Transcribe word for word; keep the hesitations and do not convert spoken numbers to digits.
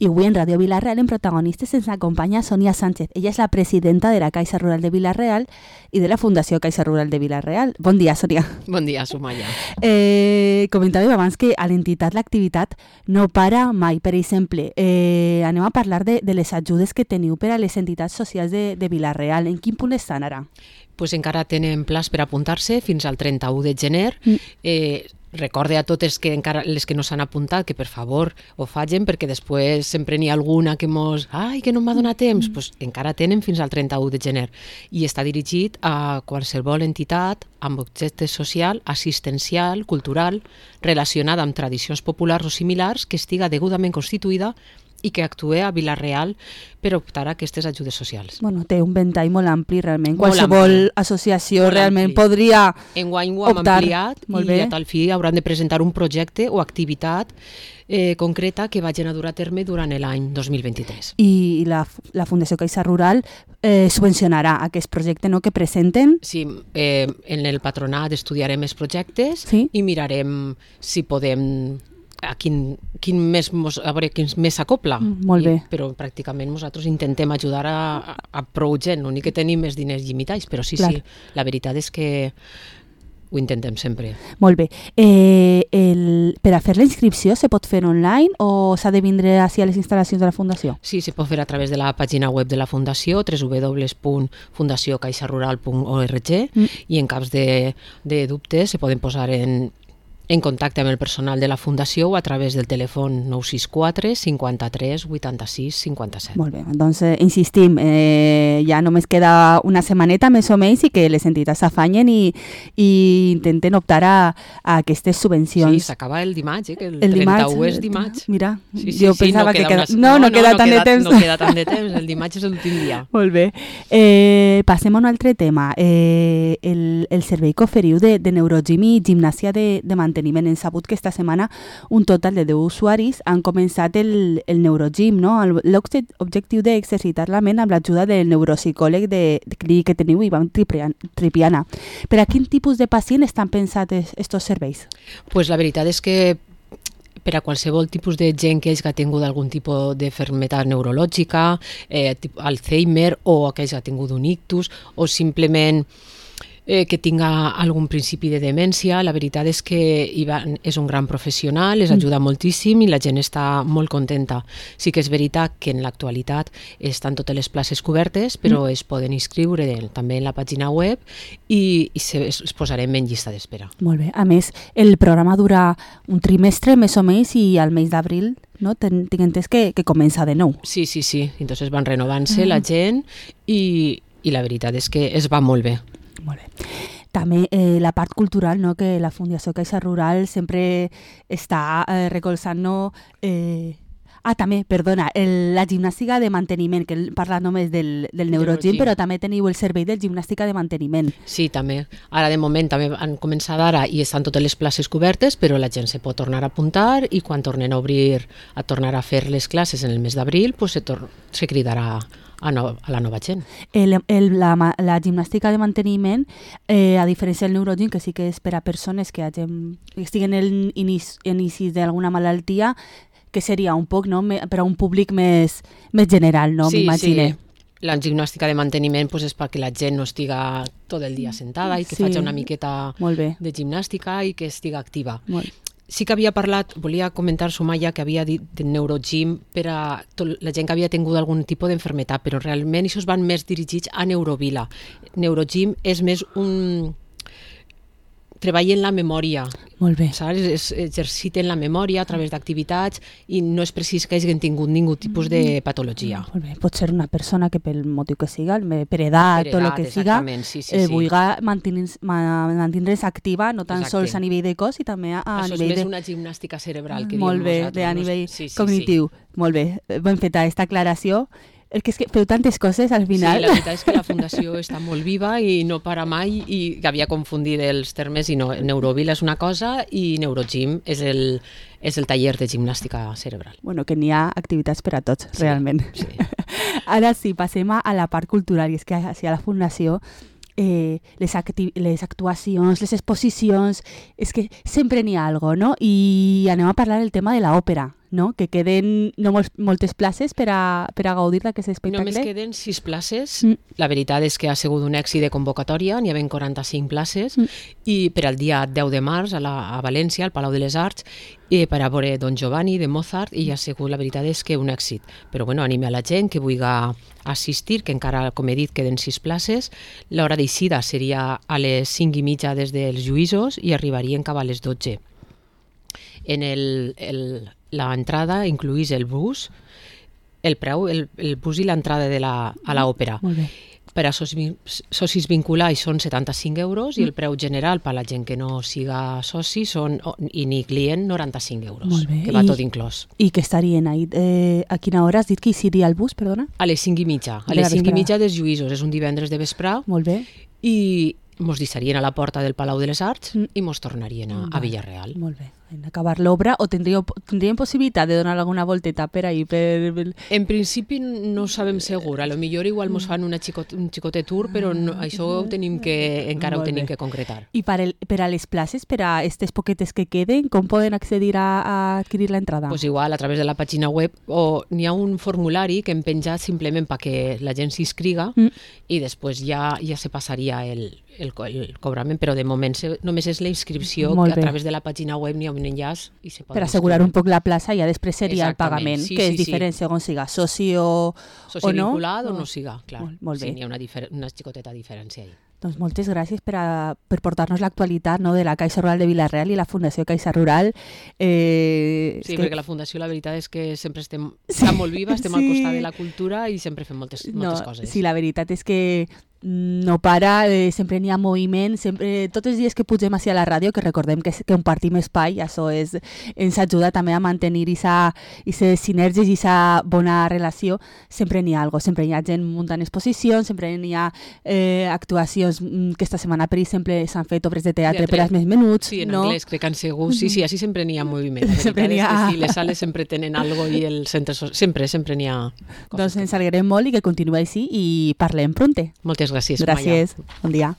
I avui en Ràdio Vila-real en Protagonistes ens acompanya Sonia Sánchez. Ella és la presidenta de la Caixa Rural de Vila-real i de la Fundació Caixa Rural de Vila-real. Bon dia, Sonia. Bon dia, Sumaya. Eh, comentàvem abans que a l'entitat l'activitat no para mai. Per exemple, eh, anem a parlar de, de les ajudes que teniu per a les entitats socials de, de Vila-real. En quin punt estan ara? Pues encara tenen plans per apuntar-se fins al trenta-u de gener. Mm. Eh, Recorde a totes que encara les que no s'han apuntat que per favor ho facin, perquè després sempre n'hi ha alguna que mos... Ai, que no m'ha donat temps! Pues encara tenen fins al trenta-u de gener. I està dirigit a qualsevol entitat amb objecte social, assistencial, cultural, relacionada amb tradicions populars o similars que estiga degudament constituïda i que actue a Vila-real per optar a aquestes ajudes socials. Bueno, té un ventall molt ampli, realment. Molt Qualsevol ampli. associació Molt realment ampli. podria Enguany ho hem optar. ampliat Molt i bé. a tal fi hauran de presentar un projecte o activitat eh, concreta que vagin a dur a terme durant l'any dos mil vint-i-tres. I la, la Fundació Caixa Rural eh, subvencionarà aquest projecte, no?, que presenten. Sí, eh, en el patronat estudiarem els projectes Sí. i mirarem si podem a quin, quin més mos, a veure quin més s'acopla. Mm, molt bé. I, però pràcticament nosaltres intentem ajudar a, a, a prou gent, l'únic que tenim és diners limitats, però sí, Clar. sí, la veritat és que ho intentem sempre. Molt bé. Eh, el, per a fer la inscripció se pot fer online o s'ha de vindre ací a les instal·lacions de la Fundació? Sí, se pot fer a través de la pàgina web de la Fundació, w w w punt fundació caixa rural punt org, Mm. i en cas de, de dubtes se poden posar en, en contacte amb el personal de la Fundació o a través del telèfon nou sis quatre cinquanta-tres vuitanta-sis cinquanta-set. Molt bé, doncs eh, insistim, eh, ja només queda una setmaneta més o menys i que les entitats s'afanyen i, i intenten optar a, a aquestes Sí, subvencions. s'acaba el dimarts, eh, que el, El dimarts, trenta-u és dimarts. Mira, Sí, sí, jo sí, pensava no que queda queda... una- No, no, queda tant de temps. No queda tant de temps, el dimarts és l'últim dia. Molt bé. Eh, passem a un altre tema. Eh, el, el servei que oferiu de, de neurogym i gimnàsia de, de manteniment. Hem sabut que esta setmana un total de deu usuaris han començat el, el neurogym, no? L'objectiu d'exercitar la ment amb l'ajuda del neuropsicòleg de, de clínic que teniu, Ivan Tripian- Tripiana. Per a quin tipus de pacient estan pensats estos serveis? Pues la veritat és que per a qualsevol tipus de gent que hagi tingut algun tipus d'enfermetat neurològica, eh, tipus Alzheimer, o aquells que ha tingut un ictus, o simplement eh, que tinga algun principi de demència, la veritat és que Ivan és un gran professional, les ajuda moltíssim i la gent està molt contenta. Sí que és veritat que en l'actualitat estan totes les places cobertes, però es poden inscriure també en la pàgina web i, i se, es, es posarem en llista d'espera. Molt bé. A més, el programa dura un trimestre més o menys i al mes d'abril, no? Ten, tinc entès que, que comença de nou. Sí, sí, sí. Entonces van renovant-se la gent i, i la veritat és que es va molt bé. Molt bé. També eh, la part cultural, no? Que la Fundació Caixa Rural sempre està eh, recolzant, no? Eh, ah, també, perdona, el, la gimnàstica de manteniment, que el- parla només del, del neurogym, neurogym. però també teniu el servei de gimnàstica de manteniment. Sí, també. Ara, de moment, també han començat ara i estan totes les places cobertes, però la gent se pot tornar a apuntar i quan tornen a obrir, a tornar a fer les classes en el mes d'abril, pues se, tor se cridarà a, no a la nova gent. El, el, la, ma- la gimnàstica de manteniment, eh, a diferència del neurogym, que sí que és per a persones que, hagin, que estiguen en inici, inicis d'alguna malaltia, que seria un poc, no? Me, per a un públic més, més general, no? Sí, M'imagine. sí. La gimnàstica de manteniment pues, és perquè la gent no estiga tot el dia sentada i que Sí. faci una miqueta Molt bé. de gimnàstica i que estiga activa. Molt. Sí que havia parlat, volia comentar, Sumaya, que havia dit de neurogym per a tot, la gent que havia tingut algun tipus d'enfermetat, però realment això van més dirigits a Neurovila. Neurogym és més un... treball en la memòria, Molt bé. saps? Es, exerciten la memòria a través d'activitats i no és precís que hagin tingut ningú tipus de patologia. Molt bé. Pot ser una persona que pel motiu que siga, per edat Per o el edat, que siga, exactament, sí, sí, eh, sí. vulgui mantenir-se mantenir activa, no tan Exacte. sols a nivell de cos i també a, a Això és nivell més de... una gimnàstica cerebral que Molt diem bé, nosaltres. de, a no? nivell Sí, sí, cognitiu. Molt bé, ben feta aquesta aclaració. El que és que feu tantes coses al Sí. final. Sí, la veritat és que la Fundació està molt viva i no para mai i havia confundit els termes i no, Neurovila és una cosa i Neurogym és el, és el taller de gimnàstica cerebral. Bueno, que n'hi ha activitats per a tots, Sí, realment. sí. Ara sí, passem a la part cultural, i és que a la Fundació eh, les, acti les actuacions, les exposicions, és que sempre n'hi ha algo, no? I anem a parlar del tema de l'òpera. no? Que queden no mol moltes places per a, per a gaudir d'aquest espectacle. Només queden sis places. Mm. La veritat és que ha sigut un èxit de convocatòria, n'hi havia quaranta-cinc places, mm. i per al dia deu de març a, la, a València, al Palau de les Arts, i per a veure Don Giovanni de Mozart, i ha sigut, la veritat és que un èxit. Però bueno, anime a la gent que vulgui assistir, que encara, com he dit, queden sis places. L'hora d'eixida seria a les cinc i mitja des dels juïsos i arribarien cap a les dotze. En el, el, la entrada incluís el bus, el preu, el, el bus i l'entrada de la, a l'òpera. Molt bé. Per a socis, socis vinculats són setanta-cinc euros, mm. i el preu general per a la gent que no siga soci són, i ni client, noranta-cinc euros, que va I, tot inclòs. I que estarien ahí? Eh, a quina hora has dit que hi seria el bus, perdona? A les cinc i mitja. A les cinc i mitja dels juïsos. És un divendres de vespre. Molt bé. I mos deixarien a la porta del Palau de les Arts mm. i mos tornarien a, a Villarreal. Molt bé. En acabar l'obra, o tindríem, tindríem possibilitat de donar alguna volteta per ahí? Per... En principi no ho sabem segur. A lo millor igual mos fan una xicot, un xicotet tour, però no, això ho tenim que, encara Molt ho tenim bé. que concretar. I per, el, per a les places, per a aquestes poquetes que queden, com poden accedir a, a adquirir l'entrada? Pues igual, a través de la pàgina web, o n'hi ha un formulari que hem penjat simplement perquè la gent s'inscriga, mm. i després ja, ja se passaria el, el, el cobrament, però de moment se, només és la inscripció, que a través de la pàgina web n'hi ha un enllaç i se pot per assegurar un poc la plaça i ja després seria Exactament. el pagament, sí, que sí, és diferent sí. segons siga soci o, soci o no. vinculat o no siga, clar. Molt, molt bé. Sí, n'hi ha una, una xicoteta diferència ahí. Doncs moltes gràcies per, a, per portar-nos l'actualitat, no, de la Caixa Rural de Vila-real i la Fundació Caixa Rural. Eh, sí, que... perquè la Fundació la veritat és que sempre estem sí, molt viva, estem sí. al costat de la cultura i sempre fem moltes, moltes no, coses. Sí, la veritat és que no para, eh, sempre n'hi ha moviment, sempre, tots els dies que pugem així a la ràdio, que recordem que, que compartim espai, això és, ens ajuda també a mantenir aquestes sinergies i aquesta bona relació, sempre n'hi ha alguna cosa, sempre hi ha gent muntant exposicions, sempre n'hi ha eh, actuacions, que esta setmana, per exemple, s'han fet obres de teatre, teatre. per als més menuts. Sí, en no? anglès, crec que han sigut, sí, sí, així sempre n'hi ha moviment. La sempre n'hi ha... sí, les sales sempre tenen algo i el centre, sempre, sempre n'hi ha coses. Doncs ens alegrem molt i que continuï així i parlem pronte. Moltes gràcies. Gràcies. Bon dia.